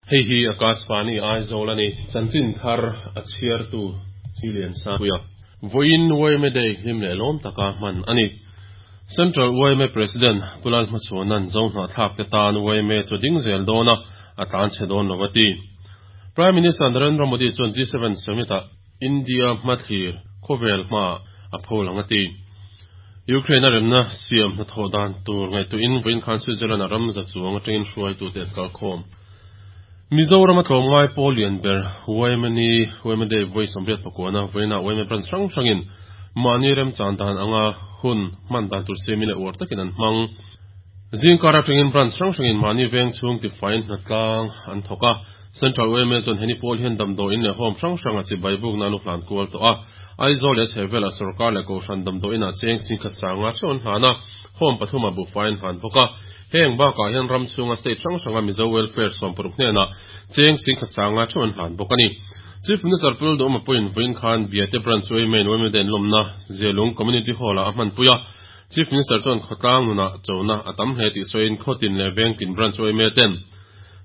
Hei hi Akashvani Aizawl a ni. Chanchin thar a chhiartu Silian Sangpuia. Vawiin yma Day hlim leh lawm taka hman a ni. Central yma President Pu Lalhmachhuana'n Zohnahthlak te tan yma chu ding zel dawn a, a tlan chhe dawn lo a ti. Prime Minister Narendra Modi chuan G7 Summit-ah India hmathlir khawvel hmaah a pho lang a ti. Ukraine a remna siam hnathawh dan tur ngaihtuahin vawiin khan Switzerland-a ram za chuang atangin hruaitute an kalkhawm. Mizoram a tlawmngai pawl lian ber yma ni yma Day vawi 84 vawiinah yma branch hrang hrangin mahni remchan dan anga hun hman dan tur siamin leh uar takin an hmang. Zingkar atangin branch hrang hrangin mahni veng chhung tifaiin hnatlang an thawk a. Central yma chuan heni pawl hian damdawiin leh home hrang hranga chibai bukna an u hlan kual tawh a. Aizawl leh a chhehvelah sorkar leh kohhran damdawiinah cheng singkhat sanga theuh an hlan a, home pathumah buhfai an hlan bawk a. Heng bakah hian ram chhunga state hrang hranga Mizo Welfare 60 hnenah cheng singkhat sanga theuh an hlan bawk a ni. Chief Minister Pu Duhma pawhin vawiin khan Biate Branch yma in yma Den lawmna Zialung Community Hall-ah a hmanpui a. Chief Minister chuan khawtlang nunah chona a tam hle tih sawiin khawtin leh vengtin Branch yma ten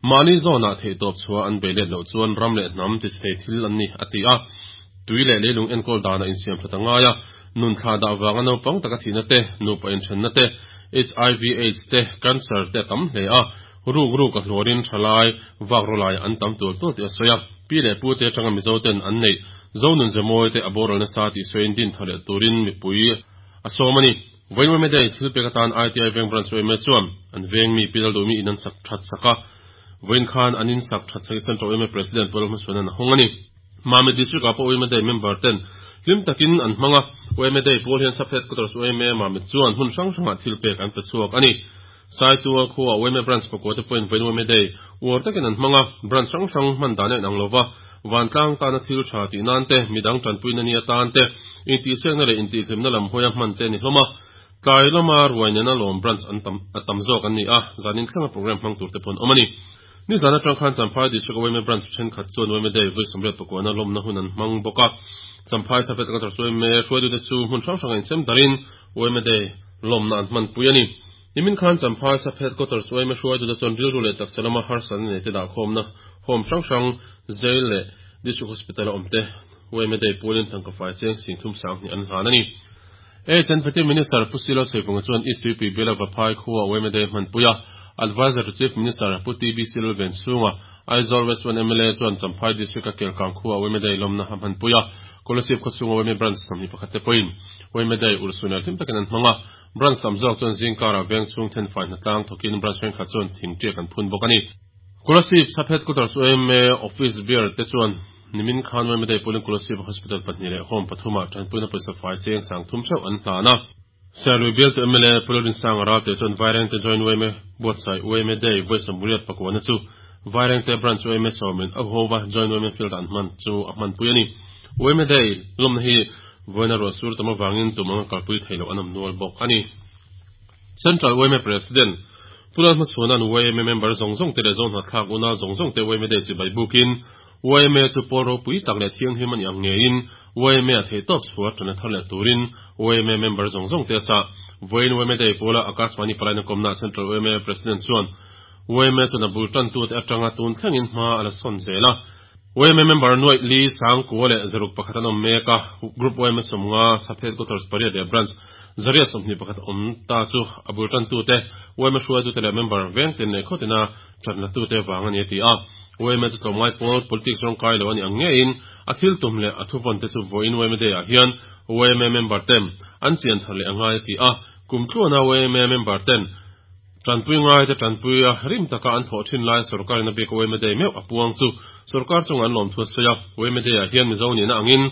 mahni zawnah theihtawp chhuah an bei let loh chuan ram leh hnam tisei thil an ni a ti a. Tui leh leilung enkawl danah insiam that a ngai a, nun thla dah vanga naupang taka thihna te, nupa inthenna te, HIV aids te, cancer te a tam hle a, ruk ruk a hluarin thalai vak rawlai an tam tual tual tih a sawi a. Pi leh pu te atanga Mizo ten an neih Zonun Zemawi te a boral nasa tih sawiin din tha leh turin mipui a sawm a ni. Vawiin Day thil pek atan ITI Veng Branch yma chuan an veng mi Pi Lalduhmi in an sak that sak a, vawiin khan an in sak that sak i Central yma President Pu Lalhmachhuana'n a hawng a ni. Mamit District ah pawh yma Day member ten hlim takin an hmang a, yma Day pawl hian Sub Headquarters yma Mamit chuan hmun hrang hrangah thil pek an pe chhuak a ni. Saitual khuaah yma Branch pakua te pawhin vawiin yma Day uar takin an hmang a, branch hrang hrang hman dan a inang lova, vantlang tana thil tha tih nan te, midang tanpuina ni atan te, intihsiakna leh intihhlimna lam hawia hman te a ni hlawm a. Tlai lama ruai nena lawm branch an tam a tam zawk an ni a, zanin thlenga program hmang tur te pawh an awm a ni. Nizan atang khan Champhai District yma Branch thenkhat chuan yma Day vawi 84 lawmna hun an hmang bawk a. Champhai Safet Quarters yma hruaitute chu hmun hrang hrangah insem darin yma Day lawmna an hmanpui a ni. Nimin khan Champhai Safet Quarters yma hruaitute chuan rilru leh taksa lama harsatna nei te dahkhawmna home hrang hrang Jail leh District Hospital a awmte yma Day pualin tangka fai cheng 30 sanghnih an hlan a ni. HNPT Minister Pu Silo Saivunga chuan East Tuipui Biala Vaphai khua yma Day hmanpui a, Adviser to Chief Minister Pu TBC Lalvenchhunga, Aizawl West 1 mla chuan Champhai District a Kelkang khua yma Day lawmna a hmanpui a, Kolasib khawchhunga yma Branch 21 te pawhin yma Day urhsun leh hlim takin an hmang a, Branch tam zawk chuan zingkarah vengchhung thenfai hnatlang thawkin Branch thenkhat chuan thingtiak an phun bawk a ni. Kolasib Sub Headquarters yma Office Bearer te chuan Nimin khan yma Day pawlin Kolasib Hospital pahnih leh Home pathumah tanpuina pawisa fai cheng 30 theuh an hlan a. Serlui bialtu mla Pu Lalrinsanga Ralte chuan Vairengte Joint yma buatsaih yma Day vawi 89 chu Vairengte Branch yma sawmin a huhova Joint yma Field ah an hman chu a hmanpui a ni. Yma Day lawmna hi vawiina ruah sur tam avangin tum anga kalpui theih loh an awm nual bawk a ni. Central yma President Pu Lalhmachhuana'n yma member zawng zawng te leh Zohnahthlak unau zawng zawng te yma Day chibai bukin yma chu pawl ropui tak leh thianghlim a nih ang ngeiin yma a theihtawp chhuah tana thar leh turin yma member zawng zawng te a chah. Vawiin yma Day pawla Akashvani palaina kawmnaah Central yma President chuan yma chuan a bul tantute atanga tun thlengin hma a la sawn zel a. Yma member nuaih li sangkua leh zaruk pakhat an awm mek a, Group yma 50, Sub Headquarters pariat leh Branch 121 awm ta chu a bul tantute, yma hruaitute leh member vengtin leh khawtina tanlatute vang a ni a ti a. Yma chu tlawmngai pawl politics rawngkai lo a nih ang ngeiin a thil tum leh a thuvawn te chu vawiin yma Day ah hian yma member ten an chian thar leh a ngai a ti a. Kum tluana yma member ten tanpui ngai te tanpui a rim taka an thawh thin lai sorkar in a bik yma Day meuh a puang chu sorkar chungah an lawm thu a sawi a. Yma Day ah hian Mizo nihna angin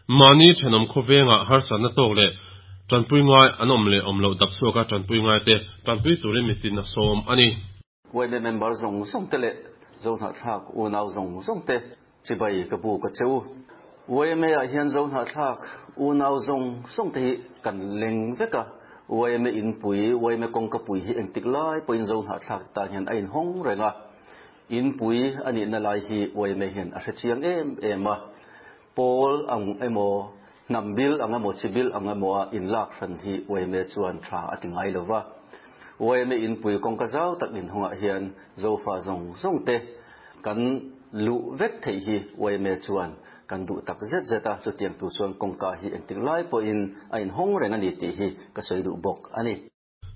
mahni thenawm khawvengah harsatna tawk leh tanpui ngai an awm leh awm loh dap chhuaka tanpui ngai te tanpui turin mitin a sawm a ni. Yma member zawng zawng te leh Zohnahthlak unau zawng zawng te chibai ka bu ka che u. Yma ah hian Zohnahthlak unau zawng zawng te hi kan leng vek a, yma inpui, yma kawngkapui hi engtik lai pawhin Zohnahthlak te tan hian a inhawng reng a. Inpui a nihna lai hi yma hian a hre chiang em em a. Pawl ang emaw, hnam bil ang emaw, chi bil ang emaw a inlak hran hi yma chuan tha a ti ngai lo va. Yma inpui kawngka zau tak inhawngah hian Zofa zawng zawng te. Kan luh vek theih hi yma chuan kan duh tak zet zet a, chutiang tur chuan kawngka hi engtik lai pawhin a inhawng reng a ni tih hi ka sawi duh bawk a ni.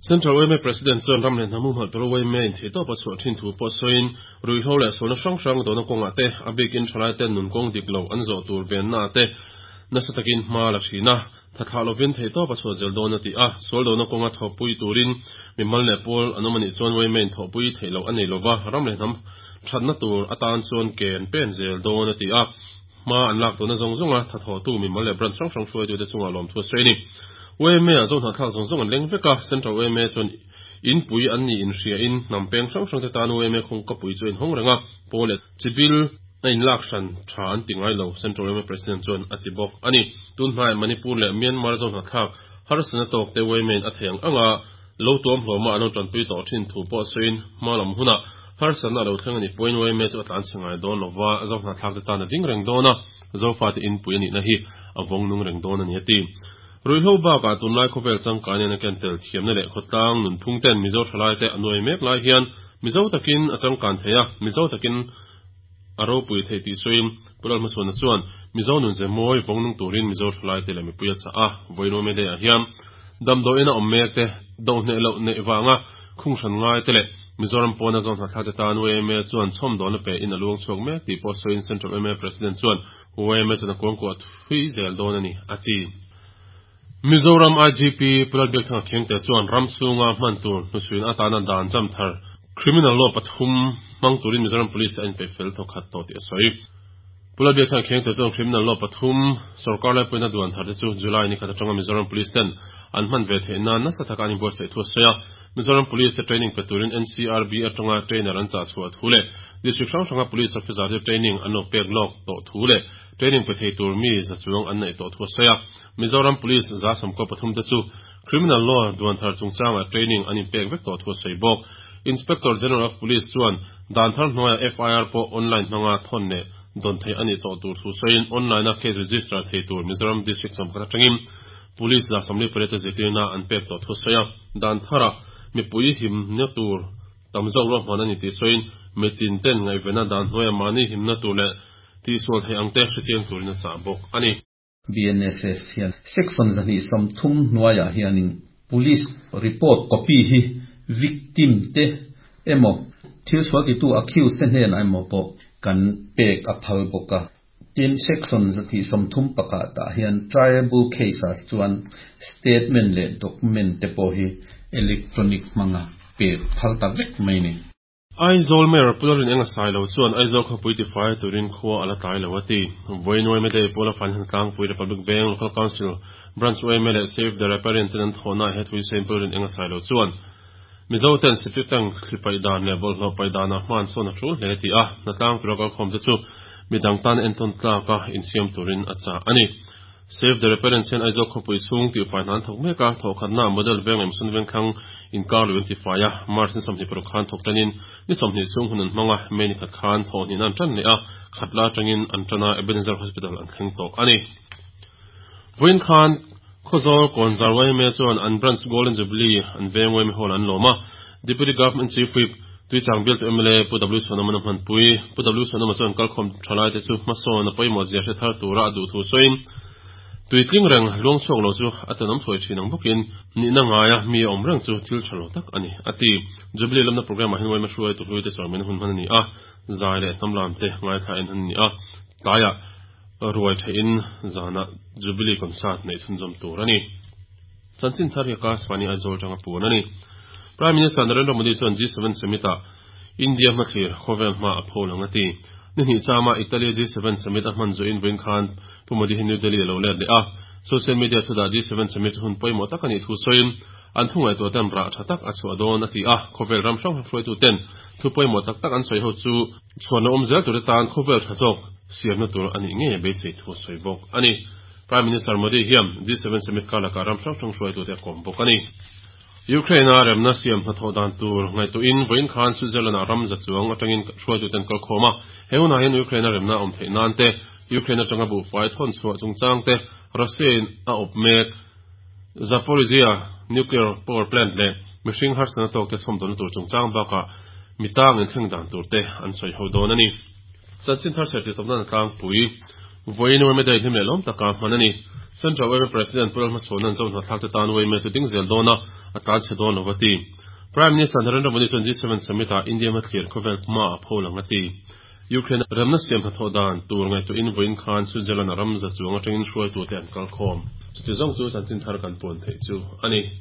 Central yma President chuan ram leh hnam humhalh tura yma in theihtawp a chhuah thin thu pawh sawiin, ruihhlo leh sualna hrang hrang dawhna kawngah te, a bikin thalaiten nun kawng dik lo an zawh tur vennaah te nasa takin hma la thin a, tha thlah lovin theihtawp a chhuah zel dawn a ti a. Sual dawhna kawnga thawhpui turin mimal leh pawl an awm a nih chuan yma in thawhpui theih loh a nei lova, ram leh hnam thatna tur atan chuan ke an pen zel dawn a ti a. Hma an lak tawhna zawng zawnga tha thawhtu mimal leh branch hrang hrang hruaitute chungah lawmthu a sawi a ni. YMA-ah zohnahthlak zawng zawng an leng vek a, Central YMA chuan inpui an nih inhriain hnam peng hrang hrangte tan YMA khawngkapui chu a inhawng reng a, pawl leh chibil a inlak hran tha an ti ngai lo, Central YMA President chuan a ti bawk a ni. Tun hnaiah Manipur leh Myanmar zohnahthlak harsatna tawkte YMA-in a thei ang anga lo tuam hlawma an lo tanpui tawh thin thu pawh sawiin hma lam hunah harsatna a lo thleng a ni pawhin YMA chu a tlanchhe ngai dawn lova, zohnahthlakte tan a ding reng dawn a, Zofate inpui a nihna hi a vawng nung reng dawn a ni a ti. Ruihhlo bakah tunlai khawvel changkan hian a ken tel thiamna leh khawtlang nunphung ten Mizo thalaite a nuai mek lai hian Mizo takin a changkan thei a, Mizo takin a ropui theih tih sawiin Pu Lalhmachhuana chuan Mizo nun ze mawi vawng nung turin Mizo thalaite leh mipui a chah a, Vawinuame Day ah hian damdawiin a awm mek te, dohneh loh neih vanga khung hran ngai te leh Mizoram pawna zawn hnahthlak te tan yma chuan chhawmdawlna pe in a luang chhuak mek tih pawh sawiin Central yma President chuan yma chuan a kuangkuah thui zel dawn a ni, a ti. Mizoram IGP Pu Lalbiakthanga Khengte chuan ram chhunga hman tur hnuchhuina atana dan jam thar Criminal Law pathum hmang turin Mizoram Police te a inpeih fel thawkhat tawh tih a sawi. Pu Lalbiakthanga Khengte chuan Criminal Law pathum sorkar laipuina duan thar te chu July ni khat atanga Mizoram Police ten an hman ve theih nan nasa taka an inbuatsaih thu a sawi a. Mizoram Police te training pe turin NCRB atanga trainer an chah chhuah thu leh District hrang hranga Police Officer te training an lo pek lawk tawh thu leh training pe thei tur mi za chuang an neih tawh thu a sawi a. Mizoram Police 113 te chu Criminal Law duan thar chungchangah training an inpek vek tawh thu a sawi bawk. Inspector General of Police chuan dan thar hnuaiah FIR pawh online hmanga thawn leh dawn theih a nih tawh tur thu sawiin online-a case register thei tur Mizoram District 11 atangin Police 48 te zirtirna an pek tawh thu a sawi a. Dan tharah mipui himna tur tam zawk ruahman a ni tih sawiin mitin ten ngaihvenna dan hnuaiah mahni himna tur leh tihsual theih ang te hrechiang turin a chah bawk a ni. BNSS hian Section 230 hnuaiah hianin Police report copy hi victim te emaw thil sual titu accused te hnenah emaw pawh kan pek a phal bawk a. Tin, Section 131 tah hian triable case-ah chuan statement leh document te pawh hi electronic hmanga pek phal ta vek mai a ni. Aizawl Mayor Pu Lalrin Enga Sailo chuan Aizawl khawpui tifai turin khua a la tlai lo a ti. Vawiin yma Day Pawla Fan Tlangpui Republic Bank Local Council Branch yma leh Save the Riparian ten an thawhnaah he thu hi sawiin Pu Lalrin Enga Sailo chuan Mizo ten septic tank thli paih dan leh bawlhhlawh paih danah hma an sawn a tul hle ti a, hnatlang tura kalkhawm te chu midang tan entawn tlaka insiam turin a chah a ni. Save the Riparians hian Aizawl khawpui chhung tihfai hna an thawk mek a, thawhkhatnaah Model Veng leh Mission Vengthlang inkar lui an tifai a, March ni 26 khan thawk tanin ni 20 chhung hun an hmang a, May ni khat khan thawhhnihna an tan leh a, khatla atangin an tan a, Ebenezer Hospital an thleng tawh a ni. Vawiin khan Khawzawl Kawnzar yma chuan an Branch Golden Jubilee an veng yma Hall an lawm a, Deputy Government Chief Whip, Tuichang bialtu mla Pu W Sonamana hmanpui. Pu W Sonama chuan kalkhawm thalaite chu hmasawn a pawimawh zia hre thar tura a duh thu sawiin, Tuitling reng luang chhuak lo chu a tanawm thuai thin ang bawkin nihna ngaia mi a awm reng chu thil tha lo tak a ni, a ti. Jubilee lamna programme ah hian yma hruaitu hluite chawimaina hun hman a ni a, zai leh hnam lamte ngaithla en a ni a, tlaiah ruai theihin zanah Jubilee concert neih chhunzawm tur a ni. Chanchin thar hi Akashvani Aizawl atanga puan a ni. Prime Minister Narendra Modi chuan G7 Summit-ah India hmathlir khawvel hma a pho lang a ti. Ni hnih chama Italy G7 Summit a hman zuiin vawiin khan Pu Modi hi New Delhi a lo let leh a. Social media thudah G7 Summit chu hun pawimawh tak a nih thu sawiin an thu ngaihtuah ten rah tha tak a chhuah dawn a ti a. Khawvel ram hrang hrang hruaituten thu pawimawh tak tak an sawi ho chu chhuanna awm zel tur te tan khawvel tha zawk siamna tur a nih ngei a beisei thu a sawi bawk a ni. Prime Minister Modi hian G7 Summit kar lakah ram hrang hrang hruaitute a kawm bawk a ni. Ukraine-a remna siam hnathawh dan tur ngaihtuahin vawiin khan Switzerland-ah ram za chuang atangin hruaitute an kalkhawm a. He hunah hian Ukraine-a remna awm theih nan te, Ukraine atanga buhfai thawn chhuah chungchang te, Russia-in a awp mek Zaporizhzhia nuclear power plant leh mihring harsatna tawkte chhawmdawlna tur chungchang bakah Mitang in thleng dan tur te an sawi ho dawn a ni. Chanchin thar chhiar tih tawpna tlangpui vawiin yma Day hlim leh lawm taka hman a ni. Central yma President Pu Lalhmachhawna'n Zohnahthlak te tan yma chu ding zel dawn a, a tlan chhe dawn lo a ti. Prime Minister Narendra Modi chuan G7 Summit ah India hmathlir khawvel hma a pho lang a ti. Ukraine a remna siam hnathawh dan tur ngaihtuahin vawiin khan Switzerland a ram za chuang atangin hruaitute an kalkhawm. Chuti zawng chu chanchin thar kan puan theih chu a ni.